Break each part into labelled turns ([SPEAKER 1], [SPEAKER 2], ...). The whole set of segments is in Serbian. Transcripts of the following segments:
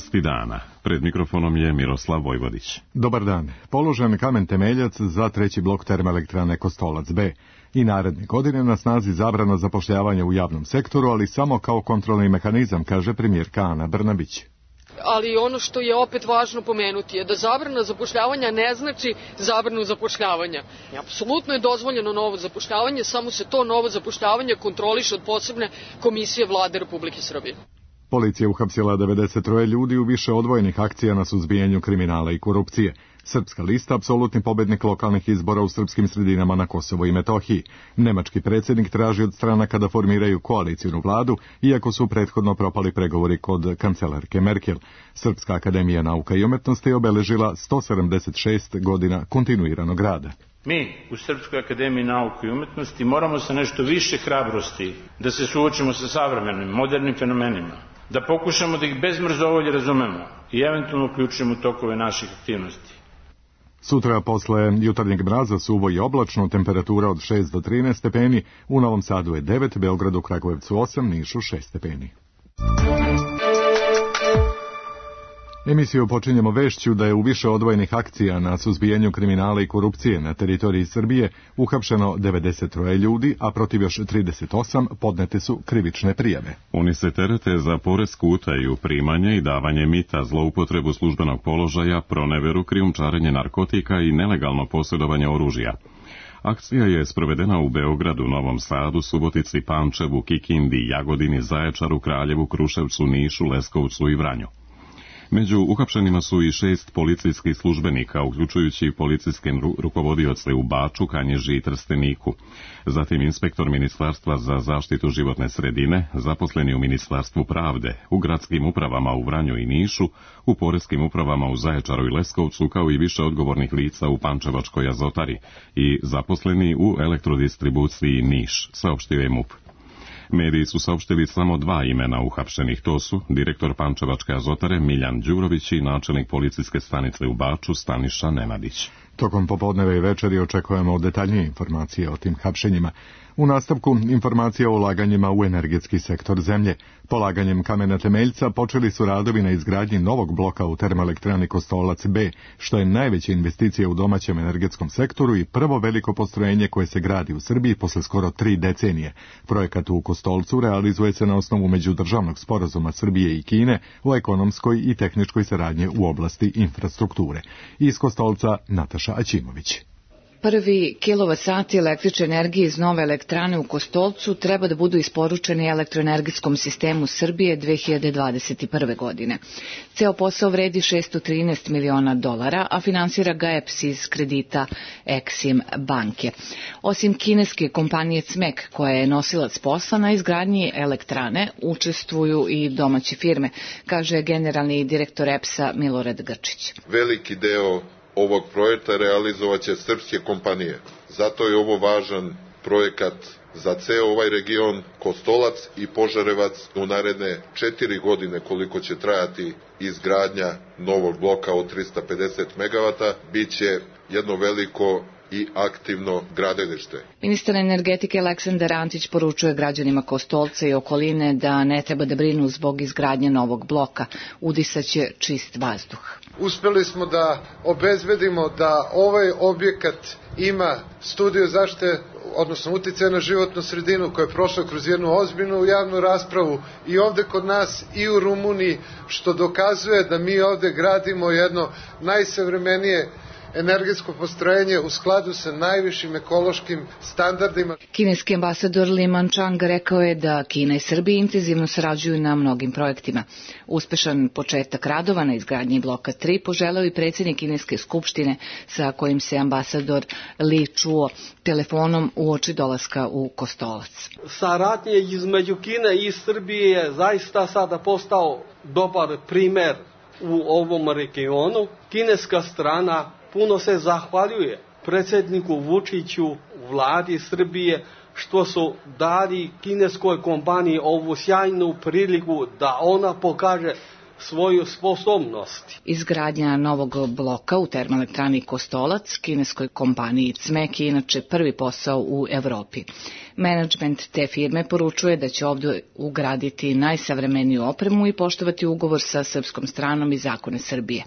[SPEAKER 1] Aktualnosti dana. Pred mikrofonom je Miroslav Vojvodić.
[SPEAKER 2] Dobar dan. Položen kamen temeljac za treći blok termoelektrane Kostolac B. I naredne godine na snazi zabrana zapošljavanja u javnom sektoru, ali samo kao kontrolni mehanizam, kaže premijerka Ana Brnabić.
[SPEAKER 3] Ali ono što je opet važno pomenuti je da zabrana zapošljavanja ne znači zabranu zapošljavanja. Apsolutno je dozvoljeno novo zapošljavanje, samo se to novo zapošljavanje kontroliše od posebne komisije Vlade Republike Srbije.
[SPEAKER 2] Policija uhapsila 93 ljudi u više odvojenih akcija na suzbijanju kriminala i korupcije. Srpska lista, apsolutni pobednik lokalnih izbora u srpskim sredinama na Kosovo i Metohiji. Nemački predsjednik traži od stranaka da formiraju koalicijnu vladu, iako su prethodno propali pregovori kod kancelarke Merkel. Srpska akademija nauka i umetnosti je obeležila 176 godina kontinuiranog rada.
[SPEAKER 4] Mi u Srpskoj akademiji nauke i umetnosti moramo sa nešto više hrabrosti da se suočimo sa savremenim, modernim fenomenima, da pokušamo da ih bez mrzovolje razumemo i eventualno uključimo u tokove naših aktivnosti.
[SPEAKER 2] Sutra posle jutarnjeg mraza suvo i oblačno, temperatura od 6 do 13 stepeni, u Novom Sadu je 9, Beogradu, Kragujevcu 8, Nišu 6 stepeni. Emisiju počinjemo vešću da je u više odvojenih akcija na suzbijanju kriminala i korupcije na teritoriji Srbije uhapšeno 93 ljudi, a protiv još 38 podnete su krivične prijave.
[SPEAKER 1] Oni se terete za poresku utaju, primanje i davanje mita, zloupotrebu službenog položaja, proneveru, krijumčarenje narkotika i nelegalno posjedovanje oružja. Akcija je sprovedena u Beogradu, Novom Sadu, Subotici, Pančevu, Kikindi, Jagodini, Zaječaru, Kraljevu, Kruševcu, Nišu, Leskovcu i Vranju. Među uhapšenima su i 6 policijskih službenika, uključujući policijske rukovodioce u Baču, Kanjiži i Trsteniku. Zatim inspektor Ministarstva za zaštitu životne sredine, zaposleni u Ministarstvu pravde, u gradskim upravama u Vranju i Nišu, u poreskim upravama u Zaječaru i Leskovcu, kao i više odgovornih lica u Pančevačkoj Azotari i zaposleni u elektrodistribuciji Niš, saopštio je MUP. Mediji su saopštili samo 2 imena uhapšenih, to su direktor Pančevačke Azotare Miljan Đurović i načelnik policijske stanice u Baču Staniša Nenadić.
[SPEAKER 2] Tokom popodneve i večeri očekujemo detaljnije informacije o tim hapšenjima. U nastavku informacija o ulaganjima u energetski sektor zemlje. Polaganjem kamena temeljca počeli su radovi na izgradnji novog bloka u termoelektrani Kostolac B, što je najveća investicija u domaćem energetskom sektoru i prvo veliko postrojenje koje se gradi u Srbiji posle skoro 3 decenije. Projekat u Kostolcu realizuje se na osnovu međudržavnog sporazuma Srbije i Kine o ekonomskoj i tehničkoj saradnji u oblasti infrastrukture. Iz Kostolca Nataša Aćimović.
[SPEAKER 5] Prvi kilovatsati električne energije iz nove elektrane u Kostolcu treba da budu isporučeni elektroenergetskom sistemu Srbije 2021. godine. Ceo posao vredi $613 miliona, a finansira ga EPS iz kredita Exim banke. Osim kineske kompanije CMEK, koja je nosilac posla na izgradnji elektrane, učestvuju i domaće firme, kaže generalni direktor EPS-a Milorad Grčić.
[SPEAKER 6] Veliki deo ovog projekta realizovaće srpske kompanije. Zato je ovo važan projekat za ceo ovaj region. Kostolac i Požarevac u naredne 4 godine koliko će trajati izgradnja novog bloka od 350 MW, bit će jedno veliko i aktivno gradilište.
[SPEAKER 5] Ministar energetike Aleksandar Antić poručuje građanima Kostolca i okoline da ne treba da brinu zbog izgradnje novog bloka. Udisaće čist vazduh.
[SPEAKER 7] Uspeli smo da obezbedimo da ovaj objekat ima studiju zaštite, odnosno uticaja na životnu sredinu, koja je prošla kroz jednu ozbiljnu javnu raspravu i ovde kod nas i u Rumuniji, što dokazuje da mi ovde gradimo jedno najsavremenije energetsko postrojenje u skladu sa najvišim ekološkim standardima.
[SPEAKER 5] Kineski ambasador Li Manchang rekao je da Kina i Srbija intenzivno sarađuju na mnogim projektima. Uspešan početak radova na izgradnji bloka 3 poželeo i predsjednik Kineske skupštine, sa kojim se ambasador Li čuo telefonom uoči dolaska u Kostolac.
[SPEAKER 8] Saradnje između Kine i Srbije je zaista sada postao dobar primer u ovom regionu. Kineska strana puno se zahvaljuje predsjedniku Vučiću, vladi Srbije, što su dali kineskoj kompaniji ovu sjajnu priliku da ona pokaže svoju sposobnost.
[SPEAKER 5] Izgradnja novog bloka u termoelektrani Kostolac kineskoj kompaniji CMEK je inače prvi posao u Evropi. Menadžment te firme poručuje da će ovdje ugraditi najsavremeniju opremu i poštovati ugovor sa srpskom stranom i zakone Srbije.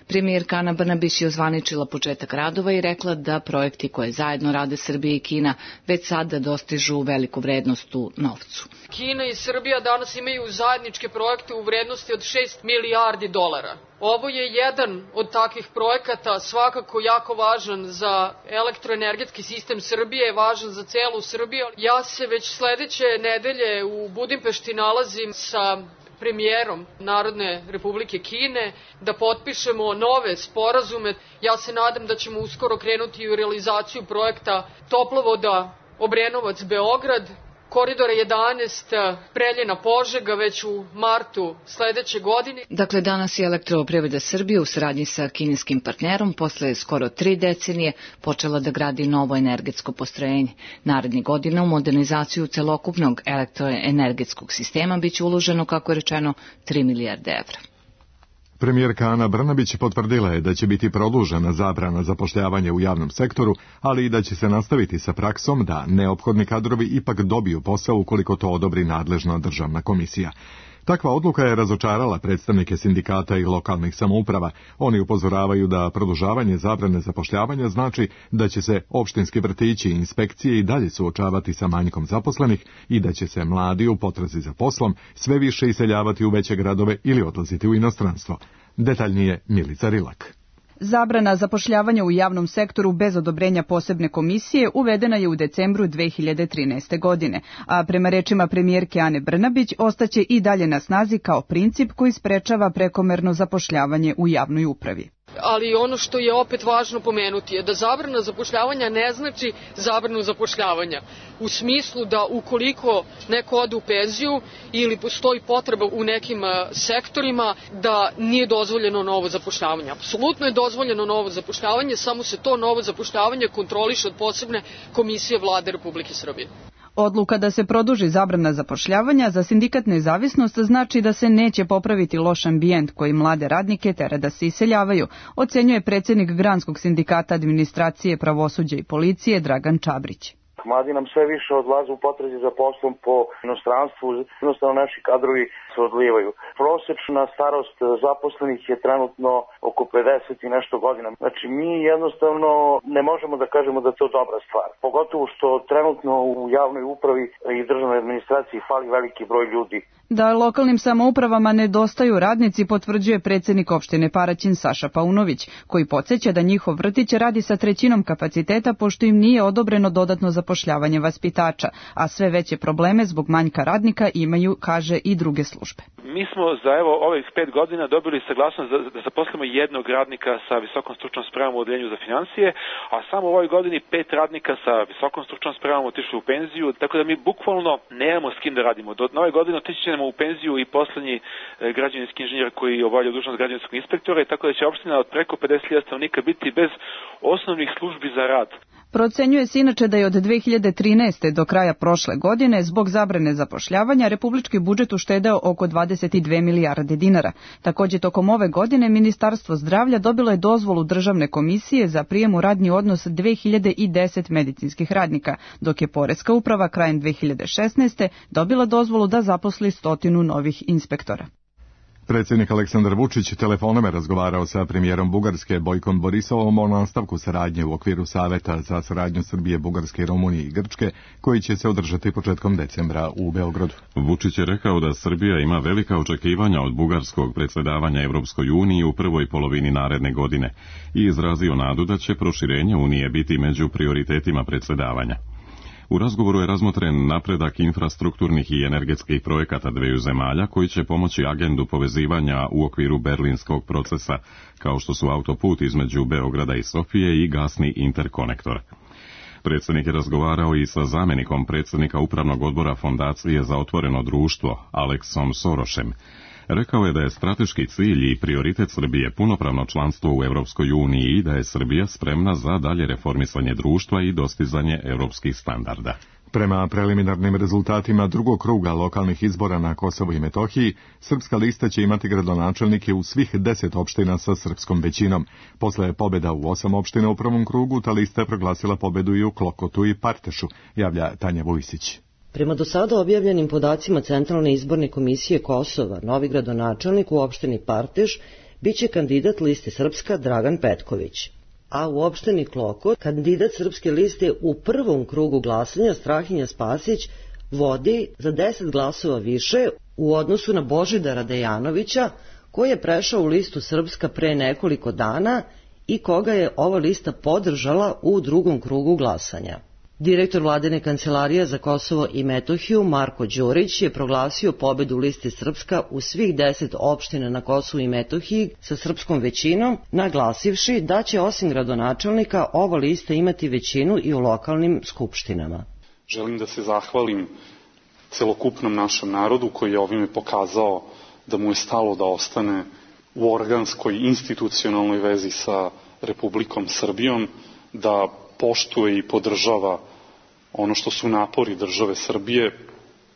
[SPEAKER 5] Premijerka Ana Brnabić je ozvaničila početak radova i rekla da projekti koje zajedno rade Srbija i Kina već sada dostižu veliku vrednost u novcu.
[SPEAKER 3] Kina i Srbija danas imaju zajedničke projekte u vrednosti od 6 milijardi dolara. Ovo je jedan od takvih projekata, svakako jako važan za elektroenergetski sistem Srbije, važan za celu Srbiju. Ja se već sledeće nedelje u Budimpešti nalazim sa premijerom Narodne Republike Kine da potpišemo nove sporazume. Ja se nadam da ćemo uskoro krenuti u realizaciju projekta toplovoda Obrenovac-Beograd, koridora 11 Preljina-Požega već u martu sledeće godine.
[SPEAKER 5] Dakle, danas je Elektroprivreda Srbije u saradnji sa kineskim partnerom posle skoro 3 decenije počela da gradi novo energetsko postrojenje. Narednih godina u modernizaciju celokupnog elektroenergetskog sistema biće uloženo, kako je rečeno, 3 milijarde evra.
[SPEAKER 2] Premijerka Ana Brnabić potvrdila je da će biti produžena zabrana zapošljavanja u javnom sektoru, ali i da će se nastaviti sa praksom da neophodni kadrovi ipak dobiju posao ukoliko to odobri nadležna državna komisija. Takva odluka je razočarala predstavnike sindikata i lokalnih samouprava. Oni upozoravaju da produžavanje zabrane zapošljavanja znači da će se opštinski vrtići i inspekcije i dalje suočavati sa manjkom zaposlenih i da će se mladi u potrazi za poslom sve više iseljavati u veće gradove ili odlaziti u inostranstvo. Detaljnije Milica Rilak.
[SPEAKER 9] Zabrana zapošljavanja u javnom sektoru bez odobrenja posebne komisije uvedena je u decembru 2013. godine, a prema rečima premijerke Ane Brnabić ostaće i dalje na snazi kao princip koji sprečava prekomerno zapošljavanje u javnoj upravi.
[SPEAKER 3] Ali ono što je opet važno pomenuti je da zabrana zapošljavanja ne znači zabranu zapošljavanja. U smislu da ukoliko neko ode u penziju ili postoji potreba u nekim sektorima da nije dozvoljeno novo zapošljavanje. Apsolutno je dozvoljeno novo zapošljavanje, samo se to novo zapošljavanje kontroliše od posebne komisije Vlade Republike Srbije.
[SPEAKER 9] Odluka da se produži zabrana zapošljavanja za sindikat Nezavisnost znači da se neće popraviti loš ambijent koji mlade radnike tera da se iseljavaju, ocenjuje predsjednik Granskog sindikata administracije, pravosuđa i policije Dragan Čabrić.
[SPEAKER 10] Mladi nam sve više odlaze u potrazi za poslom po inostranstvu, jednostavno naši kadrovi se odlivaju. Prosečna starost zaposlenih je trenutno oko 50 i nešto godina. Znači mi jednostavno ne možemo da kažemo da je to dobra stvar. Pogotovo što trenutno u javnoj upravi i državnoj administraciji fali veliki broj ljudi.
[SPEAKER 9] Da lokalnim samoupravama nedostaju radnici potvrđuje predsjednik opštine Paraćin Saša Paunović, koji podsjeća da njihov vrtić radi sa 1/3 kapaciteta pošto im nije odobreno dodatno zapošljavanje vaspitača, a sve veće probleme zbog manjka radnika imaju, kaže, i druge službe.
[SPEAKER 11] Mi smo za ovih 5 godina dobili saglasnost da zaposlimo jednog radnika sa visokom stručnom spremom u odeljenju za financije, a samo u ovoj godini 5 radnika sa visokom stručnom spremom otišli u penziju, tako da mi bukvalno nemamo s kim da radimo. Do nove godine otići ćemo u penziju i poslednji građevinski inženjer koji obavlja dužnost građevinskog inspektora, tako da će opština od preko 50.000 stanovnika biti bez osnovnih službi za rad.
[SPEAKER 9] Procenjuje se inače da je od 2013. do kraja prošle godine zbog zabrane zapošljavanja republički budžet uštedeo oko 22 milijarde dinara. Također tokom ove godine Ministarstvo zdravlja dobilo je dozvolu državne komisije za prijem u radni odnos 2010 medicinskih radnika, dok je Poreska uprava krajem 2016. dobila dozvolu da zaposli 100 novih inspektora.
[SPEAKER 2] Predsjednik Aleksandar Vučić telefonom je razgovarao sa premijerom Bugarske Bojkom Borisovom o nastavku saradnje u okviru Saveta za saradnju Srbije, Bugarske, Rumunije i Grčke, koji će se održati početkom decembra u Beogradu.
[SPEAKER 1] Vučić je rekao da Srbija ima velika očekivanja od bugarskog predsjedavanja Evropskoj uniji u prvoj polovini naredne godine i izrazio nadu da će proširenje Unije biti među prioritetima predsjedavanja. U razgovoru je razmotren napredak infrastrukturnih i energetskih projekata dveju zemalja koji će pomoći agendu povezivanja u okviru berlinskog procesa, kao što su autoput između Beograda i Sofije i gasni interkonektor. Predsjednik je razgovarao i sa zamjenikom predsjednika Upravnog odbora Fondacije za otvoreno društvo, Aleksom Sorošem. Rekao je da je strateški cilj i prioritet Srbije punopravno članstvo u Evropskoj uniji i da je Srbija spremna za dalje reformisanje društva i dostizanje evropskih standarda.
[SPEAKER 2] Prema preliminarnim rezultatima drugog kruga lokalnih izbora na Kosovu i Metohiji, Srpska lista će imati gradonačelnike u svih 10 opština sa srpskom većinom. Posle pobjeda u 8 opština u prvom krugu, ta lista je proglasila pobjedu i u Klokotu i Partešu, javlja Tanja Vujsić.
[SPEAKER 12] Prema do sada objavljenim podacima Centralne izborne komisije Kosova, novi gradonačelnik u opštini Parteš biće kandidat liste Srpska Dragan Petković. A u opštini Klokot kandidat Srpske liste u prvom krugu glasanja Strahinja Spasić vodi za 10 glasova više u odnosu na Božidara Dejanovića, koji je prešao u listu Srpska pre nekoliko dana i koga je ova lista podržala u drugom krugu glasanja. Direktor vladine kancelarije za Kosovo i Metohiju Marko Đurić je proglasio pobedu liste Srpska u svih 10 opština na Kosovu i Metohiji sa srpskom većinom, naglasivši da će osim gradonačelnika ova lista imati većinu i u lokalnim skupštinama.
[SPEAKER 13] Želim da se zahvalim celokupnom našem narodu koji je ovime pokazao da mu je stalo da ostane u organskoj institucionalnoj vezi sa Republikom Srbijom, da poštuje i podržava ono što su napori države Srbije,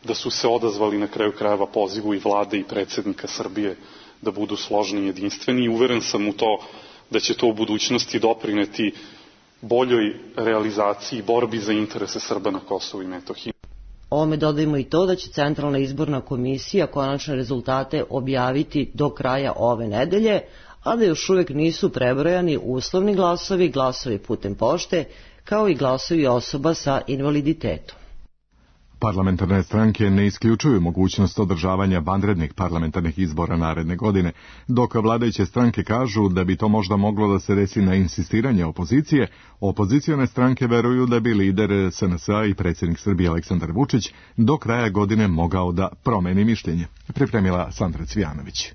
[SPEAKER 13] da su se odazvali na kraju krajeva pozivu i vlade i predsjednika Srbije da budu složni i jedinstveni i uveren sam u to da će to u budućnosti doprineti boljoj realizaciji i borbi za interese Srba na Kosovu i Metohiji.
[SPEAKER 12] Ovome dodajemo i to da će Centralna izborna komisija konačne rezultate objaviti do kraja ove nedelje, a da još uvijek nisu prebrojani uslovni glasovi, glasovi putem pošte, kao i glasovi osoba sa invaliditetom.
[SPEAKER 2] Parlamentarne stranke ne isključuju mogućnost održavanja vanrednih parlamentarnih izbora naredne godine, dok vladajuće stranke kažu da bi to možda moglo da se desi na insistiranje opozicije. Opozicione stranke veruju da bi lider SNS-a i predsjednik Srbije Aleksandar Vučić do kraja godine mogao da promeni mišljenje. Pripremila Sandra Cvijanović.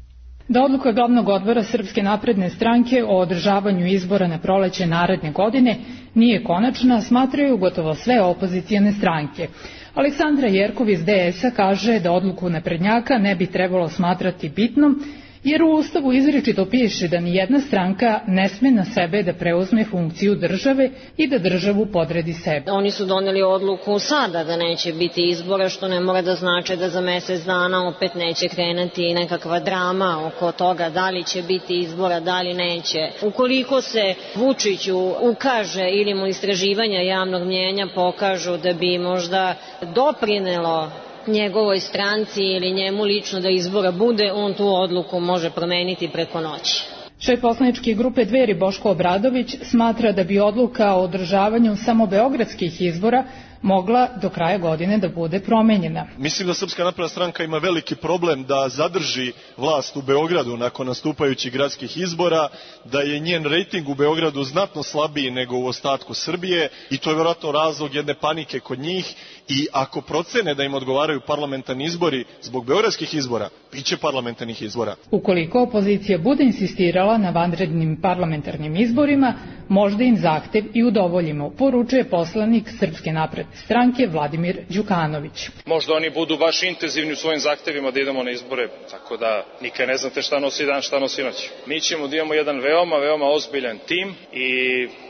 [SPEAKER 14] Da odluka glavnog odbora Srpske napredne stranke o održavanju izbora na proleće naredne godine nije konačna, smatraju gotovo sve opozicijone stranke. Aleksandra Jerkov iz DS-a kaže da odluku naprednjaka ne bi trebalo smatrati bitnom, jer u Ustavu izričito piše da nijedna stranka ne sme na sebe da preuzme funkciju države i da državu podredi sebi.
[SPEAKER 15] Oni su doneli odluku sada da neće biti izbora, što ne mora da znači da za mjesec dana opet neće krenuti nekakva drama oko toga da li će biti izbora, da li neće. Ukoliko se Vučiću ukaže ili mu istraživanja javnog mnjenja pokažu da bi možda doprinelo njegovoj stranci ili njemu lično da izbora bude, on tu odluku može promeniti preko noći.
[SPEAKER 14] Šef poslaničke grupe Dveri Boško Obradović smatra da bi odluka o održavanju samo beogradskih izbora mogla do kraja godine da bude promenjena.
[SPEAKER 16] Mislim da Srpska napredna stranka ima veliki problem da zadrži vlast u Beogradu nakon nastupajućih gradskih izbora, da je njen rejting u Beogradu znatno slabiji nego u ostatku Srbije i to je vjerojatno razlog jedne panike kod njih i ako procene da im odgovaraju parlamentarni izbori zbog beogradskih izbora, biće parlamentarnih izbora.
[SPEAKER 14] Ukoliko opozicija bude insistirala na vanrednim parlamentarnim izborima, možda im zahtev i udovoljimo, poručuje poslanik Srpske napredne stranke Vladimir Đukanović.
[SPEAKER 17] Možda oni budu baš intenzivni u svojim zahtevima da idemo na izbore, tako da nikad ne znate šta nosi dan, šta nosi noć. Mi ćemo da imamo jedan veoma ozbiljan tim i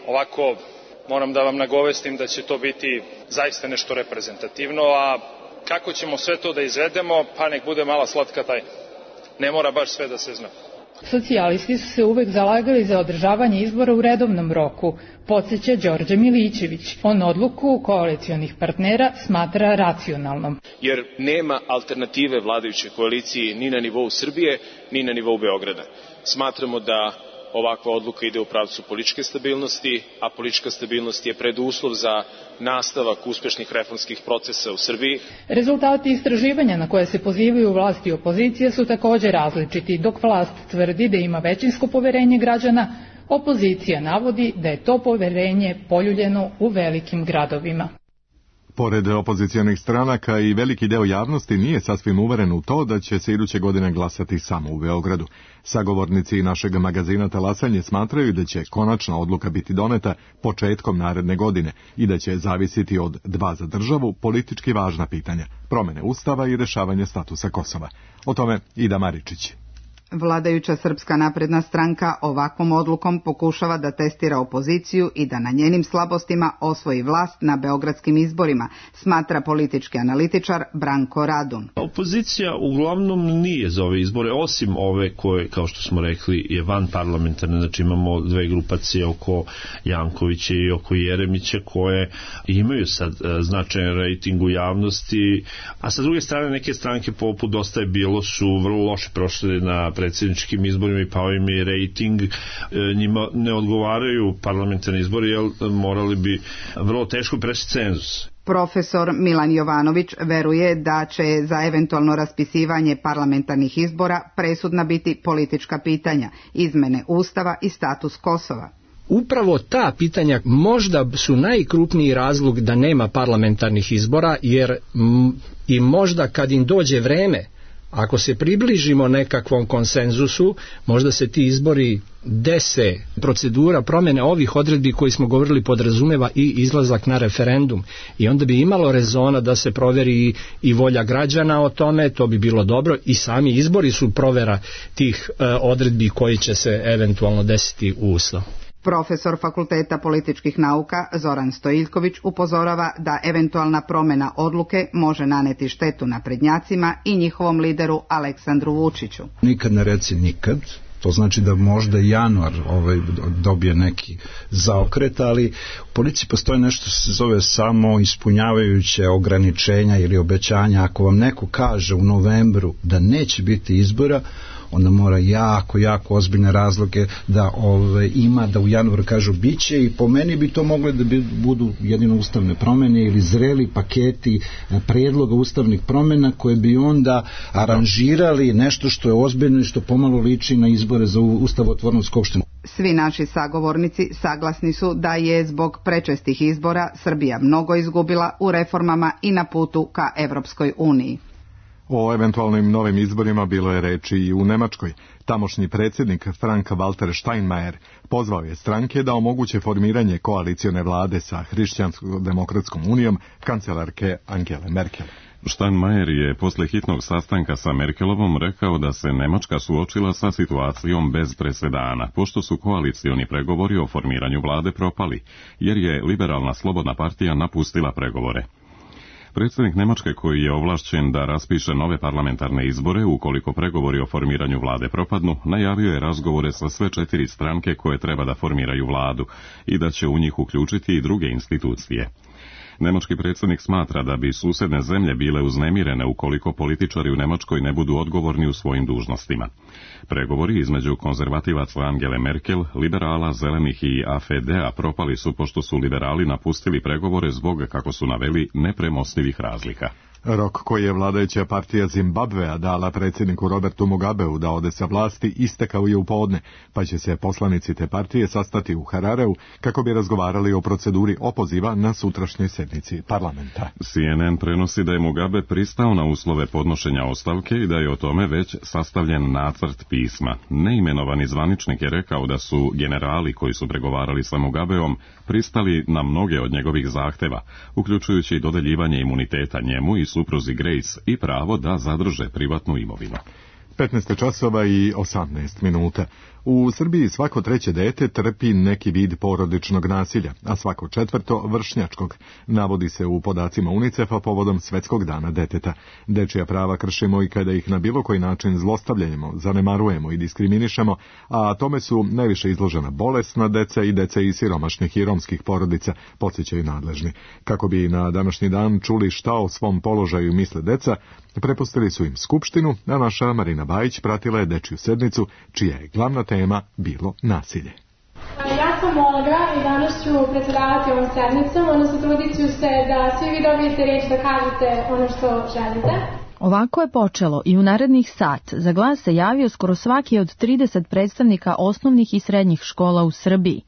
[SPEAKER 17] ovako moram da vam nagovestim da će to biti zaista nešto reprezentativno, a kako ćemo sve to da izvedemo, pa nek bude mala slatka tajna. Ne mora baš sve da se zna.
[SPEAKER 14] Socijalisti su se uvek zalagali za održavanje izbora u redovnom roku, podsjeća Đorđe Milićević. On odluku koalicionih partnera smatra racionalnom.
[SPEAKER 18] Jer nema alternative vladajućoj koaliciji ni na nivou Srbije, ni na nivou Beograda. Smatramo da ovakva odluka ide u pravcu političke stabilnosti, a politička stabilnost je preduslov za nastavak uspešnih reformskih procesa u Srbiji.
[SPEAKER 14] Rezultati istraživanja na koje se pozivaju vlast i opozicija su također različiti. Dok vlast tvrdi da ima većinsko poverenje građana, opozicija navodi da je to poverenje poljuljeno u velikim gradovima.
[SPEAKER 2] Pored opozicionih stranaka i veliki deo javnosti nije sasvim uveren u to da će se iduće godine glasati samo u Beogradu. Sagovornici našeg magazina Talasanje smatraju da će konačna odluka biti doneta početkom naredne godine i da će zavisiti od dva za državu politički važna pitanja, promene Ustava i rešavanje statusa Kosova. O tome Ida Maričić.
[SPEAKER 19] Vladajuća Srpska napredna stranka ovakvom odlukom pokušava da testira opoziciju i da na njenim slabostima osvoji vlast na beogradskim izborima, smatra politički analitičar Branko Radun.
[SPEAKER 20] Opozicija uglavnom nije za ove izbore, osim ove koje, kao što smo rekli, je van parlamentarne, znači imamo dve grupacije oko Jankovića i oko Jeremića koje imaju sad značajan rejting u javnosti, a sa druge strane neke stranke poput Dosta je bilo su vrlo loše prošle na predsjedničkim izborima i pao im je rejting, njima ne odgovaraju parlamentarni izbori jer morali bi vrlo teško preći cenzus.
[SPEAKER 19] Profesor Milan Jovanović veruje da će za eventualno raspisivanje parlamentarnih izbora presudna biti politička pitanja, izmene Ustava i status Kosova.
[SPEAKER 21] Upravo ta pitanja možda su najkrupniji razlog da nema parlamentarnih izbora, jer i možda kad im dođe vreme, ako se približimo nekakvom konsenzusu, možda se ti izbori dese. Procedura promjene ovih odredbi koji smo govorili podrazumeva i izlazak na referendum i onda bi imalo rezona da se proveri i volja građana o tome, to bi bilo dobro i sami izbori su provera tih odredbi koji će se eventualno desiti u Ustavu.
[SPEAKER 19] Profesor Fakulteta političkih nauka Zoran Stojiljković upozorava da eventualna promjena odluke može naneti štetu naprednjacima i njihovom lideru Aleksandru Vučiću.
[SPEAKER 22] Nikad ne reci nikad. To znači da možda januar dobije neki zaokret, ali u politici postoji nešto se zove samo ispunjavajuće ograničenja ili obećanja. Ako vam neko kaže u novembru da neće biti izbora, onda mora jako ozbiljne razloge da ima, da u januaru kažu biće, i po meni bi to mogli da budu jedino ustavne promjene ili zreli paketi predloga ustavnih promjena koje bi onda aranžirali nešto što je ozbiljno i što pomalo liči na izbore za ustavotvornu skupštinu.
[SPEAKER 19] Svi naši sagovornici saglasni su da je zbog prečestih izbora Srbija mnogo izgubila u reformama i na putu ka Evropskoj uniji.
[SPEAKER 2] O eventualnim novim izborima bilo je reči i u Nemačkoj. Tamošnji predsjednik Frank-Walter Steinmeier pozvao je stranke da omoguće formiranje koalicione vlade sa Hrišćansko-demokratskom unijom kancelarke Angele Merkel.
[SPEAKER 1] Steinmeier je posle hitnog sastanka sa Merkelovom rekao da se Nemačka suočila sa situacijom bez presedana, pošto su koalicioni pregovori o formiranju vlade propali, jer je liberalna slobodna partija napustila pregovore. Predsjednik Nemačke, koji je ovlašćen da raspiše nove parlamentarne izbore ukoliko pregovori o formiranju vlade propadnu, najavio je razgovore sa sve 4 stranke koje treba da formiraju vladu i da će u njih uključiti i druge institucije. Nemački predsjednik smatra da bi susedne zemlje bile uznemirene ukoliko političari u Nemačkoj ne budu odgovorni u svojim dužnostima. Pregovori između konzervativaca Angele Merkel, liberala, zelenih i AfD-a propali su pošto su liberali napustili pregovore zbog, kako su naveli, nepremostivih razlika.
[SPEAKER 2] Rok koji je vladajuća partija Zimbabvea dala predsjedniku Robertu Mugabeu da ode sa vlasti istekao je u podne, pa će se poslanici te partije sastati u Harareu kako bi razgovarali o proceduri opoziva na sutrašnjoj sjednici parlamenta.
[SPEAKER 1] CNN prenosi da je Mugabe pristao na uslove podnošenja ostavke i da je o tome već sastavljen nacrt pisma. Neimenovani zvaničnik je rekao da su generali koji su pregovarali sa Mugabeom pristali na mnoge od njegovih zahteva, uključujući dodeljivanje imuniteta njemu i supruzi Grace i pravo da zadrže privatnu imovinu.
[SPEAKER 2] 15 časova i 18 minuta. U Srbiji svako treće dete trpi neki vid porodičnog nasilja, a svako četvrto vršnjačkog, navodi se u podacima UNICEF-a povodom Svetskog dana deteta. Dečija prava kršimo i kada ih na bilo koji način zlostavljamo, zanemarujemo i diskriminišemo, a tome su najviše izložena bolesna deca i deca iz siromašnih i romskih porodica, podsjećaju nadležni. Kako bi na današnji dan čuli šta o svom položaju misle deca, prepustili su im skupštinu, a naša Marina Bajić pratila je dečju sednicu, čija je glavna tema bilo nasilje.
[SPEAKER 23] Ja sam Olga i danas ću predsjedavati ovom sednicom, odnosno trudit ću se da svi vi dobijete riječ da kažete ono što želite.
[SPEAKER 24] Ovako je počelo i u narednih sat za glas se javio skoro svaki od 30 predstavnika osnovnih i srednjih škola u Srbiji.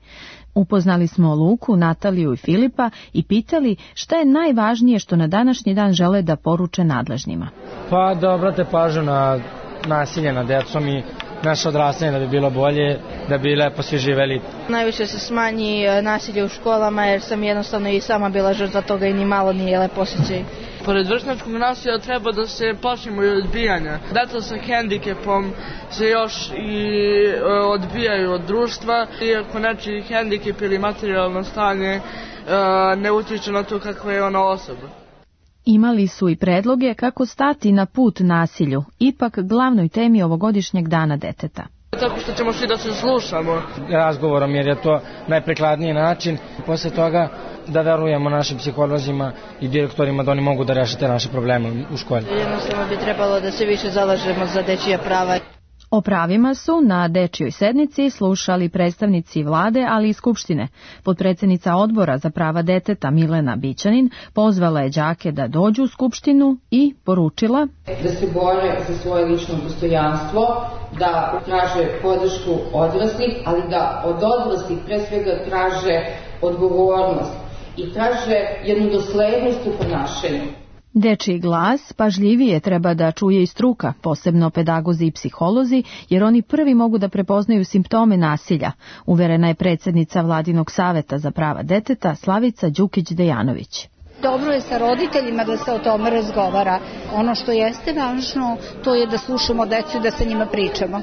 [SPEAKER 24] Upoznali smo Luku, Nataliju i Filipa i pitali šta je najvažnije što na današnji dan žele da poruče nadležnima.
[SPEAKER 25] Pa da obrate pažnju na nasilje nad decom i naše odrastanje da bi bilo bolje, da bi lepo svi živeli.
[SPEAKER 26] Najviše se smanji nasilje u školama jer sam jednostavno i sama bila žrtva toga i ni malo nije lepo osjećaj.
[SPEAKER 4] Pored vršnjačkog nasilja treba da se plašimo i odbijanja. Deca sa hendikepom se još i odbijaju od društva, iako nečiji hendikep ili materijalno stanje ne utiče na to kakva je ona osoba.
[SPEAKER 24] Imali su i predloge kako stati na put nasilju, ipak glavnoj temi ovogodišnjeg dana deteta.
[SPEAKER 4] Tako što ćemo svi da se slušamo.
[SPEAKER 25] Razgovorom, jer je to najprikladniji način. Posle toga da verujemo našim psiholozima i direktorima da oni mogu da rešite naše probleme u školi.
[SPEAKER 5] Jednostavno bi trebalo da se više zalažemo za dečija prava.
[SPEAKER 24] O pravima su na dečjoj sednici slušali predstavnici vlade, ali i Skupštine. Potpredsednica odbora za prava deteta Milena Bićanin pozvala je đake da dođu u Skupštinu i poručila
[SPEAKER 6] da se bore za svoje lično dostojanstvo, da traže podršku odraslih, ali da od odraslih pre svega traže odgovornost i traže jednu doslednost u ponašanju.
[SPEAKER 24] Dečiji glas pažljivije treba da čuje i struka, posebno pedagozi i psiholozi, jer oni prvi mogu da prepoznaju simptome nasilja, uverena je predsednica Vladinog saveta za prava deteta Slavica Đukić-Dejanović.
[SPEAKER 7] Dobro je sa roditeljima da se o tome razgovara. Ono što jeste važno, to je da slušamo decu i da sa njima pričamo.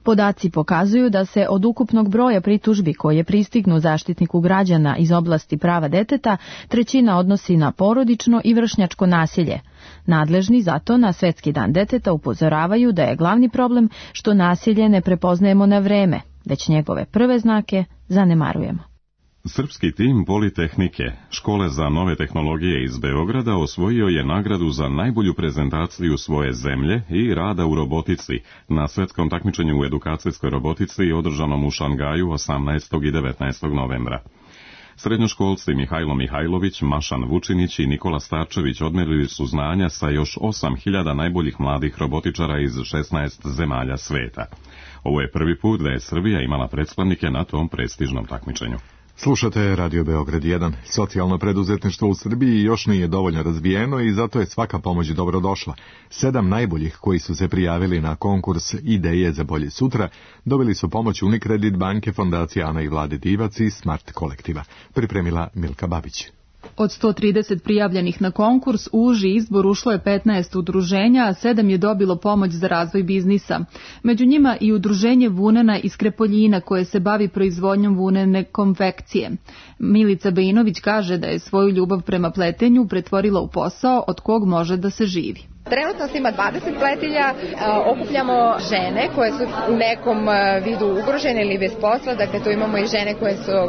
[SPEAKER 24] Podaci pokazuju da se od ukupnog broja pritužbi koje pristignu Zaštitniku građana iz oblasti prava deteta, 1/3 odnosi na porodično i vršnjačko nasilje. Nadležni zato na Svetski dan deteta upozoravaju da je glavni problem što nasilje ne prepoznajemo na vreme, već njegove prve znake zanemarujemo.
[SPEAKER 1] Srpski tim Politehnike, škole za nove tehnologije iz Beograda, osvojio je nagradu za najbolju prezentaciju svoje zemlje i rada u robotici na svetskom takmičenju u edukacijskoj robotici održanom u Šangaju 18. i 19. novembra. Srednjoškolci Mihajlo Mihajlović, Mašan Vučinić i Nikola Starčević odmerili su znanja sa još 8.000 najboljih mladih robotičara iz 16 zemalja sveta. Ovo je prvi put da je Srbija imala predstavnike na tom prestižnom takmičenju.
[SPEAKER 2] Slušate Radio Beograd 1. Socijalno preduzetništvo u Srbiji još nije dovoljno razvijeno i zato je svaka pomoć dobrodošla. 7 najboljih koji su se prijavili na konkurs Ideje za bolje sutra dobili su pomoć Unikredit banke, fondacije Ana i Vlade Divac i Smart kolektiva. Pripremila Milka Babić.
[SPEAKER 8] Od 130 prijavljenih na konkurs u uži izbor ušlo je 15 udruženja, a 7 je dobilo pomoć za razvoj biznisa. Među njima i udruženje vunena iz Krepoljina koje se bavi proizvodnjom vunene konfekcije. Milica Bejinović kaže da je svoju ljubav prema pletenju pretvorila u posao od kog može da se živi.
[SPEAKER 26] Trenutno se ima 20 pletilja, okupljamo žene koje su u nekom vidu ugrožene ili bez posla, dakle tu imamo i žene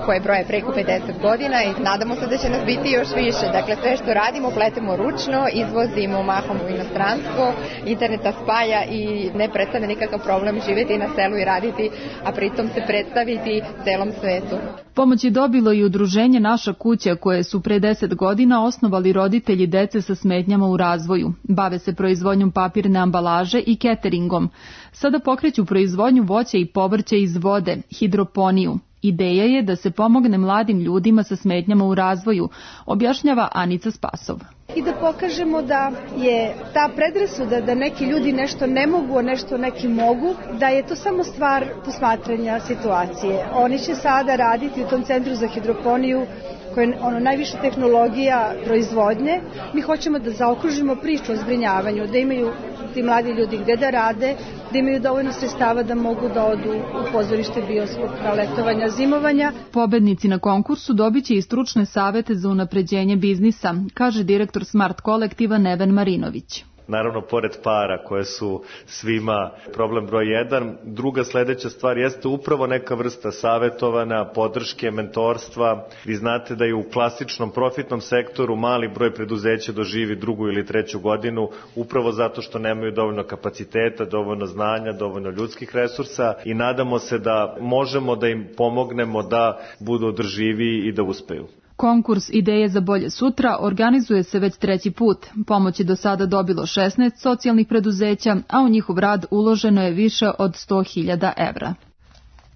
[SPEAKER 26] koje broje preko 50 godina i nadamo se da će nas biti još više. Dakle sve što radimo pletemo ručno, izvozimo mahom u inostranstvo, internet nas spaja i ne predstavlja nikakav problem živjeti na selu i raditi, a pritom se predstaviti celom svetu.
[SPEAKER 8] Pomoć je dobilo i udruženje Naša kuća koje su pre 10 godina osnovali roditelji dece sa smetnjama u razvoju. Bave se proizvodnjom papirne ambalaže i cateringom. Sada pokreću proizvodnju voća i povrća iz vode, hidroponiju. Ideja je da se pomogne mladim ljudima sa smetnjama u razvoju, objašnjava Anica Spasov.
[SPEAKER 7] I da pokažemo da je ta predrasuda da neki ljudi nešto ne mogu, a nešto neki mogu, da je to samo stvar posmatranja situacije. Oni će sada raditi u tom centru za hidroponiju koje je najviša tehnologija proizvodnje. Mi hoćemo da zaokružimo priču o zbrinjavanju, da imaju ti mladi ljudi gde da rade, da imaju dovoljno sredstava da mogu da odu u pozorište, bioskop, letovanja, zimovanja.
[SPEAKER 8] Pobednici na konkursu dobit će i stručne savete za unapređenje biznisa, kaže direktor Smart kolektiva Neven Marinović.
[SPEAKER 27] Naravno, pored para koje su svima problem broj 1, druga sledeća stvar jeste upravo neka vrsta savetovana, podrške, mentorstva. Vi znate da je u klasičnom profitnom sektoru mali broj preduzeća doživi 2. ili 3. godinu, upravo zato što nemaju dovoljno kapaciteta, dovoljno znanja, dovoljno ljudskih resursa i nadamo se da možemo da im pomognemo da budu održiviji i da uspeju.
[SPEAKER 8] Konkurs Ideje za bolje sutra organizuje se već 3. put. Pomoć je do sada dobilo 16 socijalnih preduzeća, a u njihov rad uloženo je više od 100.000 evra.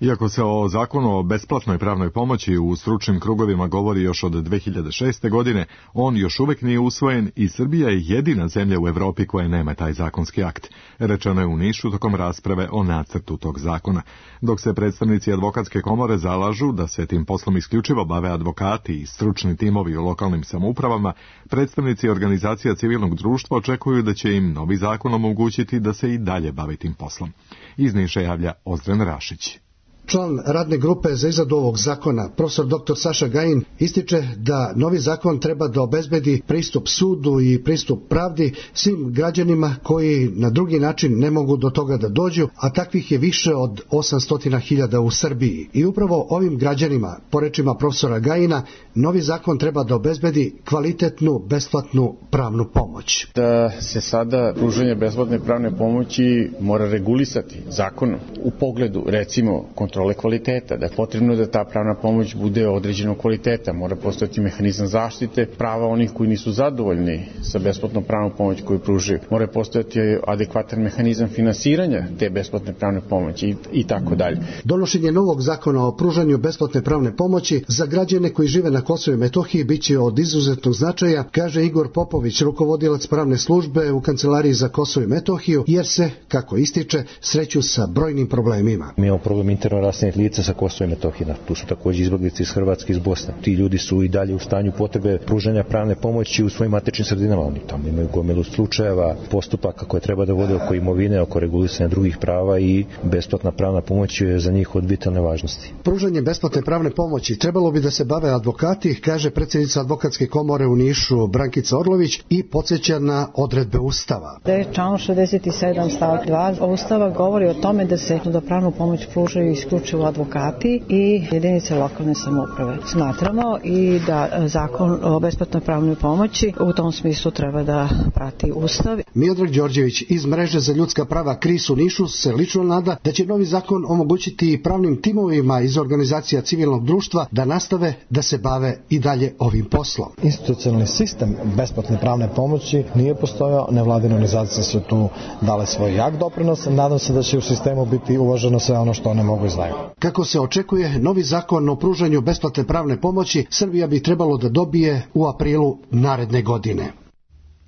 [SPEAKER 2] Iako se o zakonu o besplatnoj pravnoj pomoći u stručnim krugovima govori još od 2006. godine, on još uvijek nije usvojen i Srbija je jedina zemlja u Evropi koja nema taj zakonski akt. Rečeno je u Nišu tokom rasprave o nacrtu tog zakona. Dok se predstavnici advokatske komore zalažu da se tim poslom isključivo bave advokati i stručni timovi u lokalnim samoupravama, predstavnici organizacija civilnog društva očekuju da će im novi zakon omogućiti da se i dalje bave tim poslom. Iz Niša javlja Ozren Rašić.
[SPEAKER 3] Član radne grupe za izradu ovog zakona, profesor dr. Saša Gajin, ističe da novi zakon treba da obezbedi pristup sudu i pristup pravdi svim građanima koji na drugi način ne mogu do toga da dođu, a takvih je više od 800.000 u Srbiji. I upravo ovim građanima, po rečima profesora Gajina, novi zakon treba da obezbedi kvalitetnu, besplatnu pravnu pomoć.
[SPEAKER 9] Da se sada pružanje besplatne pravne pomoći mora regulisati zakonom u pogledu, recimo, kontrole kvaliteta, da je potrebno da ta pravna pomoć bude određenog kvaliteta, mora postojati mehanizam zaštite prava onih koji nisu zadovoljni sa besplatnom pravnom pomoć koju pružaju, mora postojati adekvatan mehanizam finansiranja te besplatne pravne pomoći i tako dalje.
[SPEAKER 3] Donošenje novog zakona o pružanju besplatne pravne pomoći za građane koji žive na Kosovu i Metohiji biće od izuzetnog značaja, kaže Igor Popović, rukovodilac pravne službe u Kancelariji za Kosovo i Metohiju, jer se, kako ističe, sreću sa brojnim problemima.
[SPEAKER 10] Mi imamo problem interno raseljenih lica sa Kosova i Metohije. Tu su također izbeglice iz Hrvatske i iz Bosne. Ti ljudi su i dalje u stanju potrebe pružanja pravne pomoći u svojim matičnim sredinama. Oni tamo imaju gomilu slučajeva, postupaka koje treba da vode oko imovine, oko regulisanja drugih prava i besplatna pravna pomoć je za njih od vitalne važnosti.
[SPEAKER 3] Pružanje besplatne pravne pomoći trebalo bi da se bave advokati, kaže predsjednica advokatske komore u Nišu Brankica Orlović i podsjeća na odredbe Ustava.
[SPEAKER 11] Član 67 stavak 2 Ustava govori o tome da se da pravnu pomoć pružaju isključivo advokati i jedinice lokalne samouprave. Smatramo i da zakon o besplatnoj pravnoj pomoći u tom smislu treba da prati Ustav.
[SPEAKER 3] Miodrag Đorđević iz Mreže za ljudska prava KRIS u Nišu se lično nada da će novi zakon omogućiti pravnim timovima iz organizacija civilnog društva da nastave da se bave i dalje ovim poslom.
[SPEAKER 12] Institucionalni sistem besplatne pravne pomoći nije postojao, nevladine organizacije su tu dale svoj jak doprinos. Nadam se da će u sistemu biti uvaženo sve ono što one mogu izdaju.
[SPEAKER 3] Kako se očekuje, novi zakon o pružanju besplatne pravne pomoći Srbija bi trebalo da dobije u aprilu naredne godine.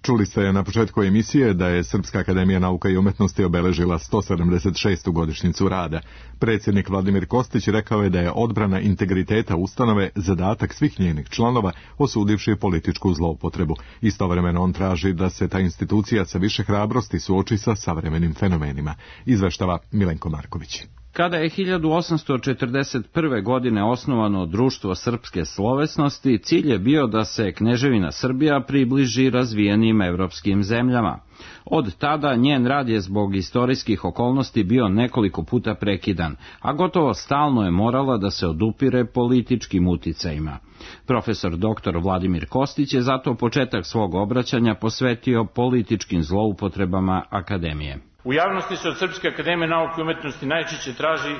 [SPEAKER 2] Čuli ste na početku emisije da je Srpska akademija nauka i umetnosti obeležila 176. godišnjicu rada. Predsjednik Vladimir Kostić rekao je da je odbrana integriteta ustanove zadatak svih njenih članova, osudivši političku zloupotrebu. Istovremeno on traži da se ta institucija sa više hrabrosti suoči sa savremenim fenomenima. Izveštava Milenko Marković.
[SPEAKER 13] Kada je 1841. godine osnovano Društvo srpske slovesnosti, cilj je bio da se Kneževina Srbija približi razvijenim evropskim zemljama. Od tada njen rad je zbog istorijskih okolnosti bio nekoliko puta prekidan, a gotovo stalno je morala da se odupire političkim uticajima. Profesor dr. Vladimir Kostić je zato početak svog obraćanja posvetio političkim zloupotrebama akademije.
[SPEAKER 15] U javnosti se od Srpske akademije nauke i umetnosti najčešće traži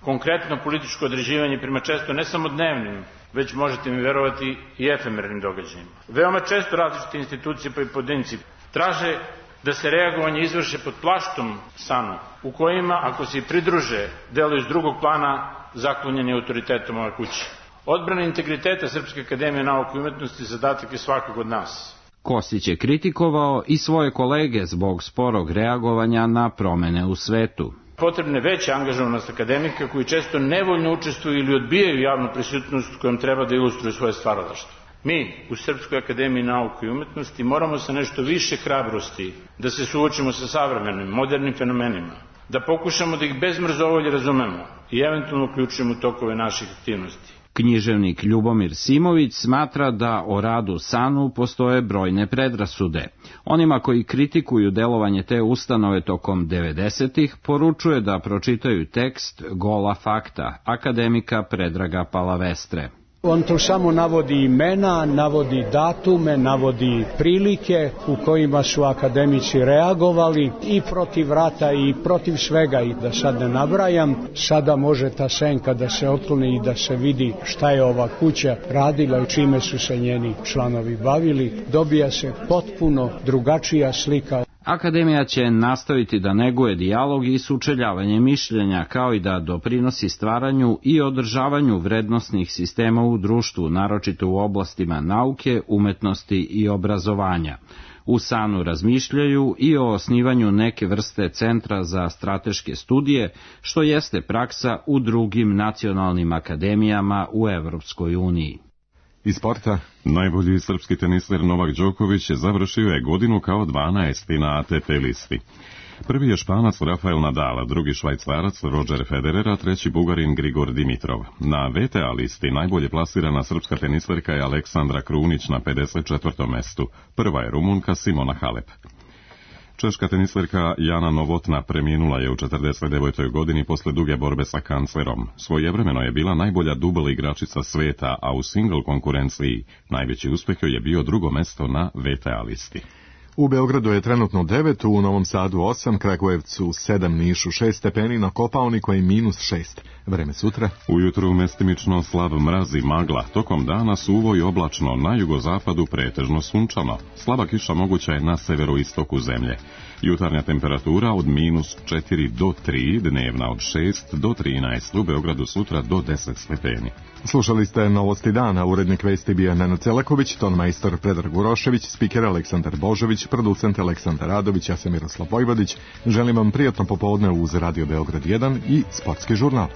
[SPEAKER 15] konkretno političko određivanje prema često ne samo dnevnim, već možete mi verovati i efemernim događajima. Veoma često različite institucije pa i pojedinci traže da se reagovanje izvrše pod plaštom sanu, u kojima, ako se i pridruže, deluju iz drugog plana zaklonjeni autoritetom ove kuće. Odbrana integriteta Srpske akademije nauke i umetnosti zadatak je svakog od nas.
[SPEAKER 13] Kostić je kritikovao i svoje kolege zbog sporog reagovanja na promene u svetu.
[SPEAKER 15] Potrebna je veća angažovanost akademika koji često nevoljno učestvuju ili odbijaju javnu prisutnost kojom treba da ilustruju svoje stvaralaštvo. Mi u Srpskoj akademiji nauke i umetnosti moramo sa nešto više hrabrosti da se suočimo sa savremenim, modernim fenomenima, da pokušamo da ih bez mrzovolje razumemo i eventualno uključujemo u tokove naših aktivnosti.
[SPEAKER 13] Književnik Ljubomir Simović smatra da o radu SANU postoje brojne predrasude. Onima koji kritikuju delovanje te ustanove tokom 90-ih poručuje da pročitaju tekst Gola fakta akademika Predraga Palavestre.
[SPEAKER 28] On tu samo navodi imena, navodi datume, navodi prilike u kojima su akademici reagovali i protiv rata i protiv svega, i da sad ne nabrajam. Sada može ta senka da se otkloni i da se vidi šta je ova kuća radila i čime su se njeni članovi bavili. Dobija se potpuno drugačija slika.
[SPEAKER 13] Akademija će nastaviti da neguje dijalog i sučeljavanje mišljenja, kao i da doprinosi stvaranju i održavanju vrednosnih sistema u društvu, naročito u oblastima nauke, umetnosti i obrazovanja. U SANU razmišljaju i o osnivanju neke vrste centra za strateške studije, što jeste praksa u drugim nacionalnim akademijama u Evropskoj uniji.
[SPEAKER 2] Iz sporta.
[SPEAKER 1] Najbolji srpski teniser Novak Đoković završio je godinu kao 12. na ATP listi. Prvi je Španac Rafael Nadal, drugi Švajcarac Roger Federer, a treći Bugarin Grigor Dimitrov. Na VTA listi najbolje plasirana srpska teniserka je Aleksandra Krunić na 54. mestu. Prva je Rumunka Simona Halep. Češka teniserka Jana Novotna preminula je u 49. godini posle duge borbe sa kancerom. Svojevremeno je bila najbolja dubl igračica sveta, a u single konkurenciji najveći uspeh joj je bio drugo mesto na VTA listi.
[SPEAKER 2] U Beogradu je trenutno 9, u Novom Sadu 8, Kragujevcu 7, Nišu 6 stepeni, na Kopaoniku je -6. Vreme sutra.
[SPEAKER 1] Ujutru mestimično slab mraz i magla, tokom dana suvo i oblačno, na jugozapadu pretežno sunčano. Slaba kiša moguća je na severoistoku zemlje. Jutarnja temperatura od -4 do 3, dnevna od 6 do 13, u Beogradu sutra do 10 stepeni.
[SPEAKER 2] Slušali ste Novosti dana, urednik vesti bio Nenad Celaković, tonmajstor Predrag Urošević, spiker Aleksandar Božović, producent Aleksandar Radović, ja sam Miroslav Vojvodić. Želim vam prijatno popodne uz Radio Beograd 1 i sportski žurnal.